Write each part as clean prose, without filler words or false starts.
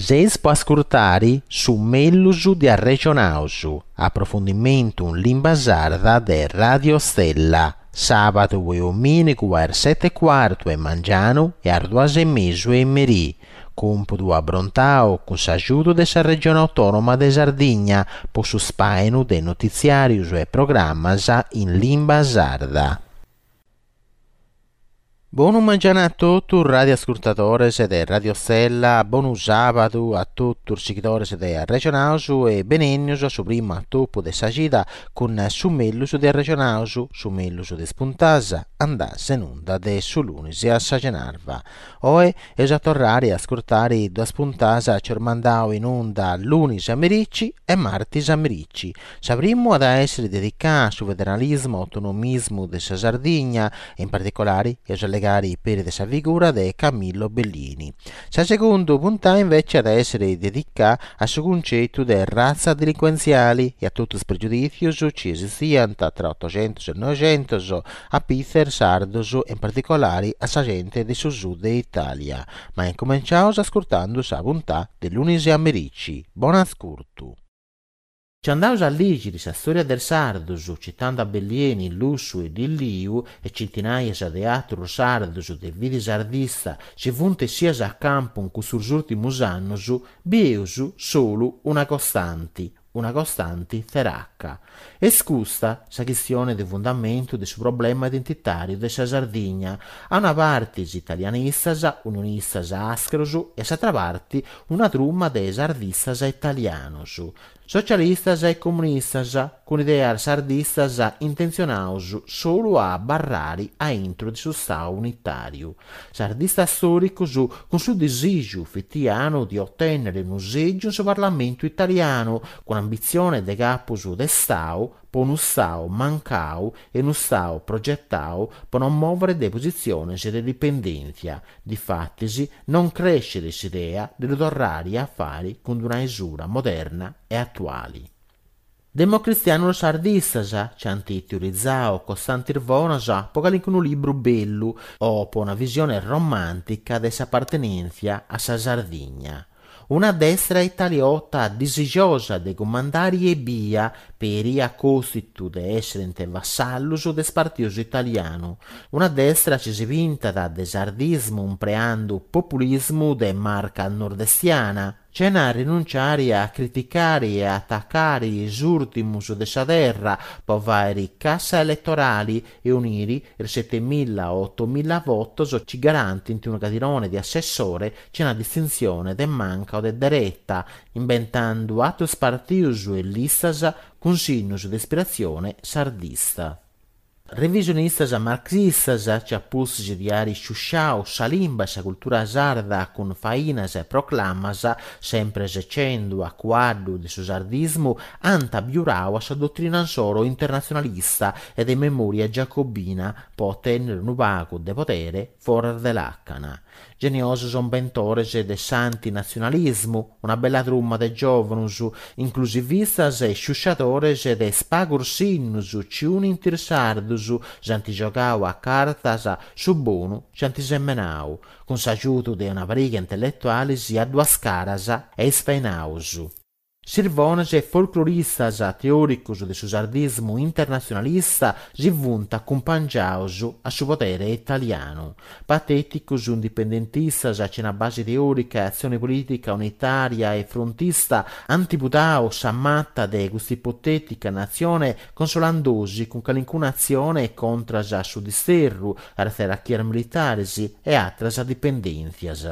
Seis po ascurtare su mellus de Arrexonaus, aprofundimentu in limba sarda de Radio Stella, sàbadu e omìnigu a is sete e cuartu 'e mangianu e a is duas e mesu 'e merì. Còmpudu abrontau cun s'agiudu de sa Regione Autònoma de Sardigna po su spàinu de notitziàrios e programmas in limba sarda. Bonu mangianu a totus radioascurtadores de Radio Stella, bonu sàbadu a totus sighidores de Arrexonaus e benènnius a su primu atopu de sa cida cun su mellus de Arrexonaus, su mellus de is puntas andas in unda de su lunis a sa cenarba. Oe eus a torrare a ascurtare duas puntas chi eus mandau in unda lunis a merici e martis a merici. Sa primu at a èssere dedicada a su federalismu autonomismu de sa Sardigna e in particolare eus a allegare peri de sa figura de Camillo Bellieni. Sa segundu puntada invece at a èssere dedicada a su cuncetu de ratza delincuentziale e a totu is pregiudìtzios chi esistiant tra Otoxentos e Noixentos a pitz e is sardos e in particolare a sa gente de su sud de Itàlia. Ma incumenciaus ascurtando sa puntà de lunis a merici. Bon'ascurtu. Si andaus a lìgiri sa stòria de is sardos, citando a Bellieni, Lussu e Lilliu e centinaias de àterus sardos de fidi sardista chi funt essias a campu in custus ùrtimus annus, bieus solu una costanti, una costanti tzeraca. Est custa sa chistione de fundamentu de su problema identitàriu de sa Sardigna, a una parti is italianistas, unionistas àscheros e a s'atra parti una truma de sardistas italianos. Socialistas e comunistas, cun ideas sardistas intentzionados solu a abarrare a intro de su Stadu unitàriu. Sardistas stòricos cun su disìgiu fitianu de otènnere unu sègiu in su Parlamentu italianu, cun ambitzione de capos de Stadu po unu Stadu mancau e unu Stadu progetau po non mòvere de positziones de dipendèntzia. Difatis non crescet s'idea de lu torrare a fàere cun una isura moderna e atuale. Democristianos sardistas chi ant teorizadu costantes bonas po calincunu libru bellu o po una visione romàntica de s'apartenèntzia a sa Sardigna. Una destra italiota disigiosa de cumandare ebbia, peri a costitu de èsserent vassallos de is partidos italianu. Una destra chi si pintat de sardismu impreando populismu de marca nordestiana, Chena rinunciare a criticare e atacare is ùrtimus de sa terra po fàere cassa eletorale e unire is setemilla o otomilla votos chi garantint unu cadirone de assessore chena distintzione de manca o de dereta, imbentando àteros partidos e listas cun sinnos de ispiratzione sardista. Revisionistas marxistas chi a pustis de àere isciusciadu sa limba e sa cultura sarda cun fainas e proclamas, sempre secendo a cuaddu de su sardismu, ant abiuradu a sa dotrina insoro internatzionalista e de memòria giacobina po otènnere unu pagu de podere foras de làcana. Geniosos imbentores de s'antinatzionalismu, una bella truma de giòvanos, inclusivistas e isciusciadores de is pagos sinnos chi unint is sardos, s'ant giogadu a cartas su bonu chi ant semenadu, cun s'agiudu de una pariga intelletuales a duas caras e isfainados. Sirvones e folcloristas teòricos de su sardismu internatzionalista si funt acumpangiados a su podere italianu. Patèticos indipendentistas chena base teòrica e atzione polìtica unitària e frontista ant pudadu sa mata de custa ipotètica natzione consolandosi cun calincuna atzione contras a su disterru, a is tzerachias militares e àteras dipendèntzias.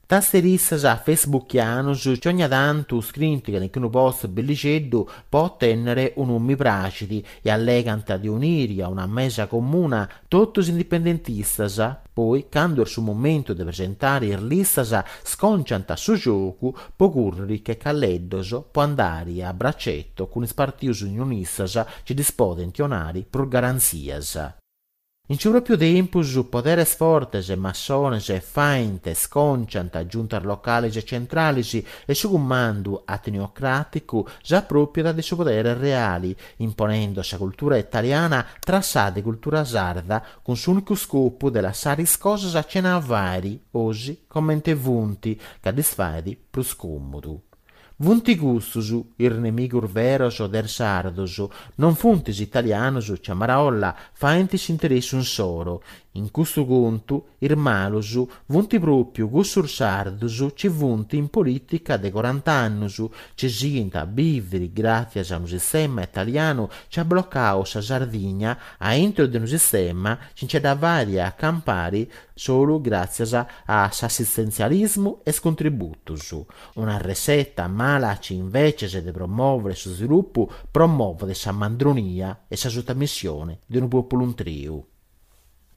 Tasteristas facebookianos chi ogna tantu scrint calincunu post bellixeddu po otènnere unu mi praxit e allegant de uniri a una mesa comuna totu is indipendentistas, poi candu est su momentu de presentare is listas sconciant su giogu po curriri che calleddos po andare a bracetto cun is partidos unionistas chi ddis podent 'onare prus garantzias. In su pròpiu tempus poderes fortes e massones faint e sconciant giuntas locales e centrales e su cumandu ateniocràticu s'apròpiat de su podere reale, imponendo sa cultura italiana tra sa de cultura sarda cun s'ùnicu scopu de lassare is cosas chena fàere, osi comente funt, ca ddis faet prus còmodu. Funt custus is nemigus veros de is sardos, non funt is italianos chi a maraolla faint s'interessu insoro. In custu contu is malus funt pròpiu cussus sardos chi funt in polìtica de corant'annus, chi sighint a bìviri gràtzias a unu sistema italianu chi at blocau sa Sardigna a intro de unu sistema chi nce dda fait a campari solu gràtzias a s'assistentzialismu e is contributus. Una resseta mala chi inveces de promòvere su svilupu promovet sa mandronia e sa sutamissione de unu pòpulu intreu.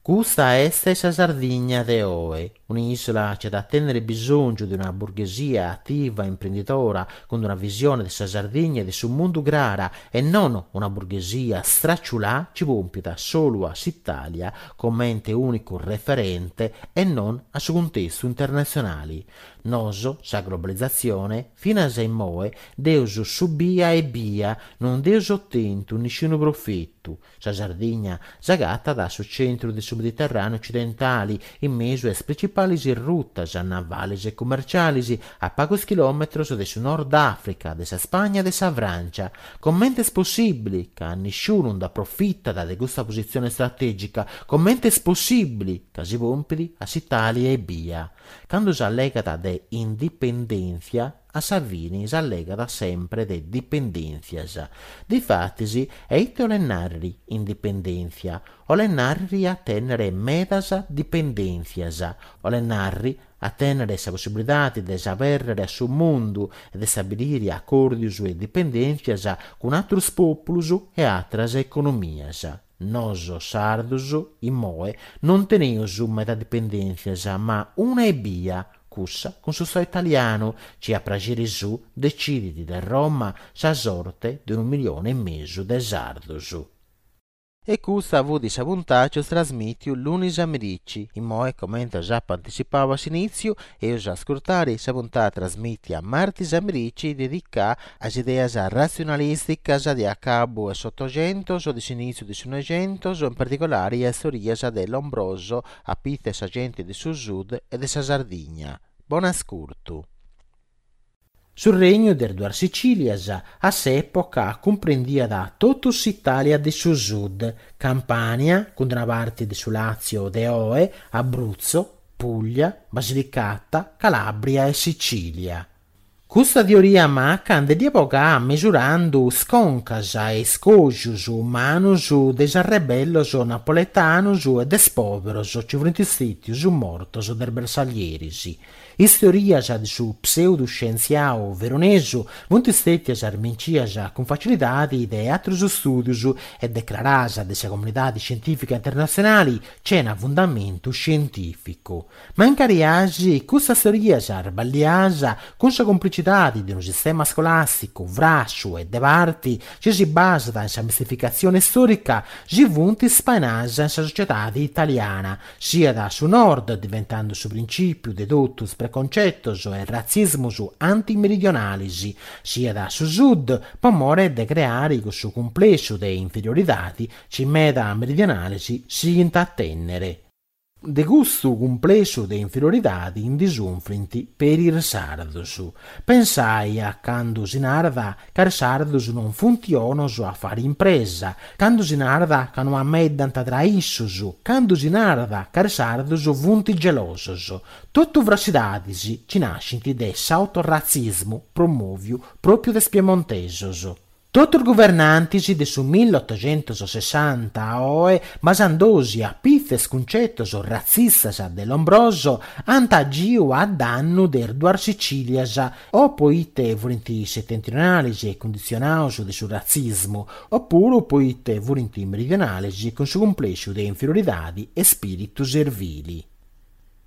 Custa est sa Sardigna de oe, un'ìsula chi at a tènnere bisòngiu de una burghesia ativa e imprendidora cun una visione de sa Sardigna e de su mundu crara e non una burghesia straciulà chi pòmpiat solu a s'Itàlia comente ùnicu referente e non a su cuntestu internatzionale. Nosu, sa globalizatzione, finas a immoe, dd'eus subia ebbia, non nd'eus otentu nisciunu profetu. Sa Sardigna s'agatat a su centru de su Mediterràneu ocidentali, in mesu a is principalis rutas navales e cumercialis, a pagus chilòmetros de su Nord Àfrica, de sa Spagna e de sa Frància. Comente est possìbili ca nisciunu nd'aprofitat de custa positzione stratègica? Comente est possìbili ca si pompit a s'Itàlia ebbia? Candu s'allegat de indipendèntzia, a sa fini s'allegat sempre de dipendèntzias. Difatis, e ite 'olet nàrrere indipendèntzia? 'Olet nàrrere a tènnere medas dipendèntzias. 'Olet nàrrere a tènnere sa possibilidade de s'abèrrere a su mundu e de stabilire acòrdios e dipendèntzias cun àteros pòpulos e àteras economias. Noso sardos, immoe, non teneus meda dipendèntzias, ma una ebbia, cussa cun su Stadu italianu, chi a praxeri suu decidit de Roma sa sorte de unu milione e mesu de sardos. E custa fut sa puntà chi eus trasmìtiu lunis a merici. Immoe, comente s'apo anticipau a s'inìtziu, eus a ascurtare sa puntà trasmìtia martis a merici dedicà a is ideas ratzionalìsticas de acabu 'e s'Otoxentos e de s'inìtziu de su Noixentos, in particolari a is teorias de Lombroso a pitzu 'e sa genti de su Sud e de sa Sardigna. Bon'ascurtu. Su Regnu de is Duas Sicìlias a s'època cumprendiat totu s'Itàlia de su Sud, Campània, cun una parti de su Làtzio de oe, Abruzzo, Pùglia, Basilicata, Calàbria e Sicìlia. Custa teoria maca nde dd'iat bogà mesurandu is concas e is cògius umanus de is arrebellos napoletanus e de is pòberos chi furint stètius mortos de is bersaglieris. Is teorias de su pseudu-scientziau veronesu funt stètias smincias cun facilidadi de àterus stùdius e decraradas de sa comunidadi scientìfica internatzionali chena fundamentu scientìficu. Mancari asi, custas teorias sballias, cun sa cumplicidadi de unu sistema scolàsticu frassu e de parti chi si basat in sa mistificatzioni stòrica, si funt spainadas in sa sociedadi italiana, siat a su nord, diventando su principiu de totu is preconcetos e ratzismus antimeridionalis, siat a su sud, po more de creare cussu cumplessu de inferioridadi chi meda meridionales sighint a tènnere. De custu cumplessu de inferioridadi ndi sunfrint peri is sardos. Pensai a candu si narat ca is sardos non funt 'onos a fari impresa, candu si narat ca no ameddant tra issus, candu si narat ca is sardos funt gelosos. Totu frassidadis chi nascint de s'autoratzismu promòviu pròpiu de is piemontesos. Totu is guvernantis de su millottoxentosessanta a oe, basandosi a pitzu 'e is cuncetos ratzistas de Lombroso, ant agiu a dannu de is duas Sicilias, o poite furint setentrionales e cunditzionados de su ratzismu, opuru poite furint meridionales cun su cumplessu de inferioridade e spiritu servili.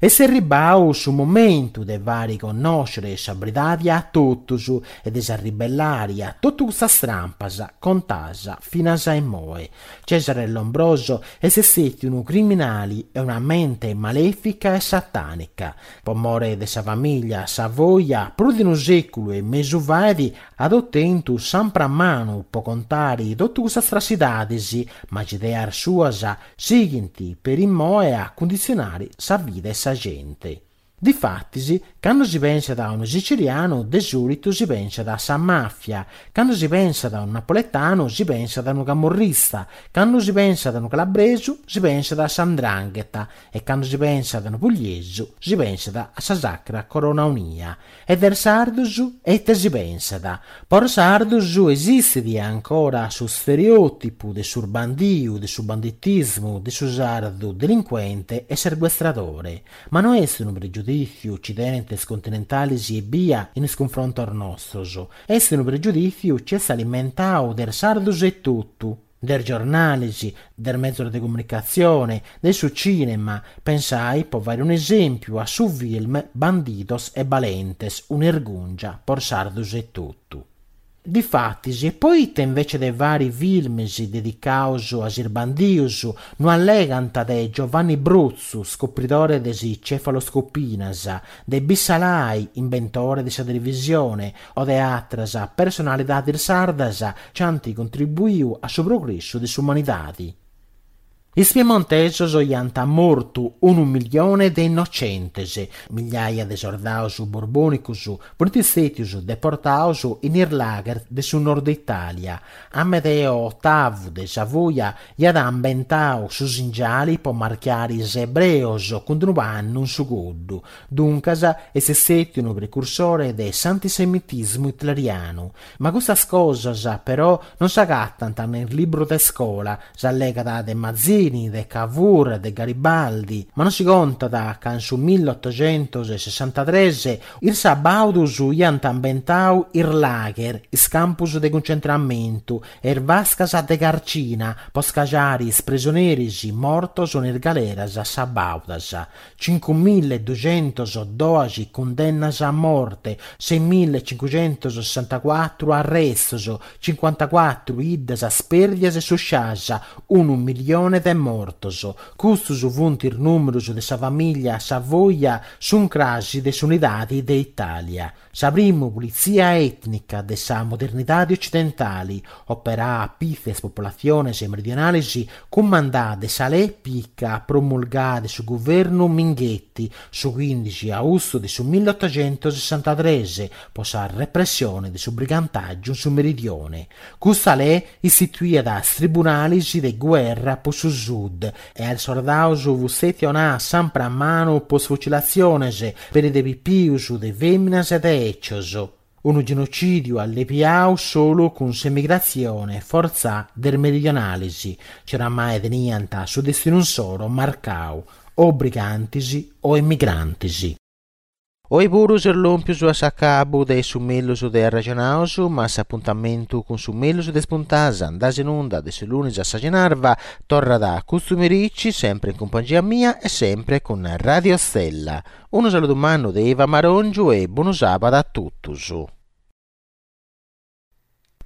Est erribau su momentu de fari connòscere sa beridadi a totus e de s'arribellari a totu custas trampas contas finas a immoe. Cesare Lombroso est stètiu unu criminali e una mente malèfica e satànica. Po more de sa famìllia Savoia, prus de unu sèculu e mesu fait, at otentu s'ampramanu po contari totu custas trassidadis, ma is ideas suas sighint peri immoe a cunditzionari sa vida 'e sa genti. Difatis, cando si pensat a unu sicilianu de sòlitu si pensat a sa màfia, cando si pensat a unu napoletanu si pensat a unu camorrista, cando si pensat a unu calabresu si pensat a sa 'ndrangheta e cando si pensat a unu pugliesu si pensat a sa Sacra Corona Unia. E de is sardus ite si pensat? Po is sardus esistit ancora su stereòtipu de su bandiu, de su banditismu, de su sardu delincuente e sequestradore. Ma no est unu pregiudìtziu chi tenent is continentalis ebbia in is cunfrontos nostros, est unu pregiudìtziu chi est alimentau de is sardus etotu. De is giornalis, de is mezos de comunicatzione, de su cìnema, pensai, po fai un'esèmpiu, a su film Bandidos e Balentes, un'irgùngia po is sardus etotu. Difatis, e poita invece de fari films dedicaus a is bandius, no allegant de Giovanni Brotzu, scopridore de is cefaloscopinas, de Bussalai, imbentore de sa televisione, o de àteras personalidadis sardas chi ant contribuiu a su progressu de s'umanidadi. Is piemontesos iant mortu unu milione de innocentes, migliaia de sordaus borbònicos funt stètius deportaus in is lager de su nord Itàlia. Amedeo Otavu de Savoia iat imbentau su singiali po marchiari is ebreos cun unu pannu in su coddu, Duncas est stètiu unu precursore de s'antisemitismu hitlerianu. Ma custas cosas, però, non s'agatant ne in is librus de scola, s'allegat de Mazzini, de Cavour, de Garibaldi, ma non si contat ca in su millotogentosessantatres is sabaudus iant imbentau is lager, is campus de cuncentramentu e is vascas de carcina po scagiari is presoneris mortos in is galeras sabaudas. Cincumilleduxentosdoxi cundennas a morte, seimillecincuxentosessantacuatru arrestos, cincuantacuatru 'iddas spèrdias e sciuscias, unu milione de mortos. Custus funt is nùmerus de sa famìllia Savoia s'uncrasi de s'unidadi de Itàlia. Sa primu pulitzia ètnica de sa modernidadi ocidentali, operà a pitz' 'e is populatziones meridionalis, cumandà de sa Lei Pica promulgà de su guvernu Minghetti su cuindixi austu de su millotogentosessantatres po sa repressione de su brigantàgiu in su meridione. Custa lei istituiat is tribunalis de guerra po su sud e a is sordaus fut stètia 'onà s'ampramanu po is fucilatziones peri de pipius, de fèminas e de 'ecios. Unu genocìdiu allebiau solu cun s'emigratzione fortzà de is meridionalis, chi oramai teniant su destinu insoro marcau, o brigantis o emigrantis. Oi puru seus lòmpius a s'acabu de su mellus de Arraxonaus, ma s'apuntamentu cun su mellus de is puntadas andadas in unda de su lunis a sa cenarba torrat custu merici, sempre in cumpangia mia e sempre cun Radio Stella. Unu saludu mannu de Iva Marongiu e bonu sàbadu a totus.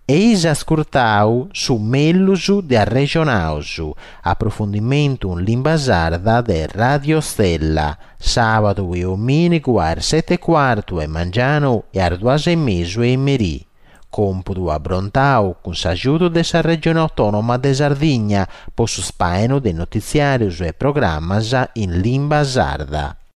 Eis ascurtau su mellus de Arrexonaus, aprofundimentu in limba sarda de Radio Stella, sàbadu e omìnigu a is seti e cuartu 'e mangianu e a is duas e mesu 'e merì. Còmpudu abrontau cun s'agiudu de sa Regione Autònoma de Sardigna po su spàinu de notitziàrius e programas in limba sarda.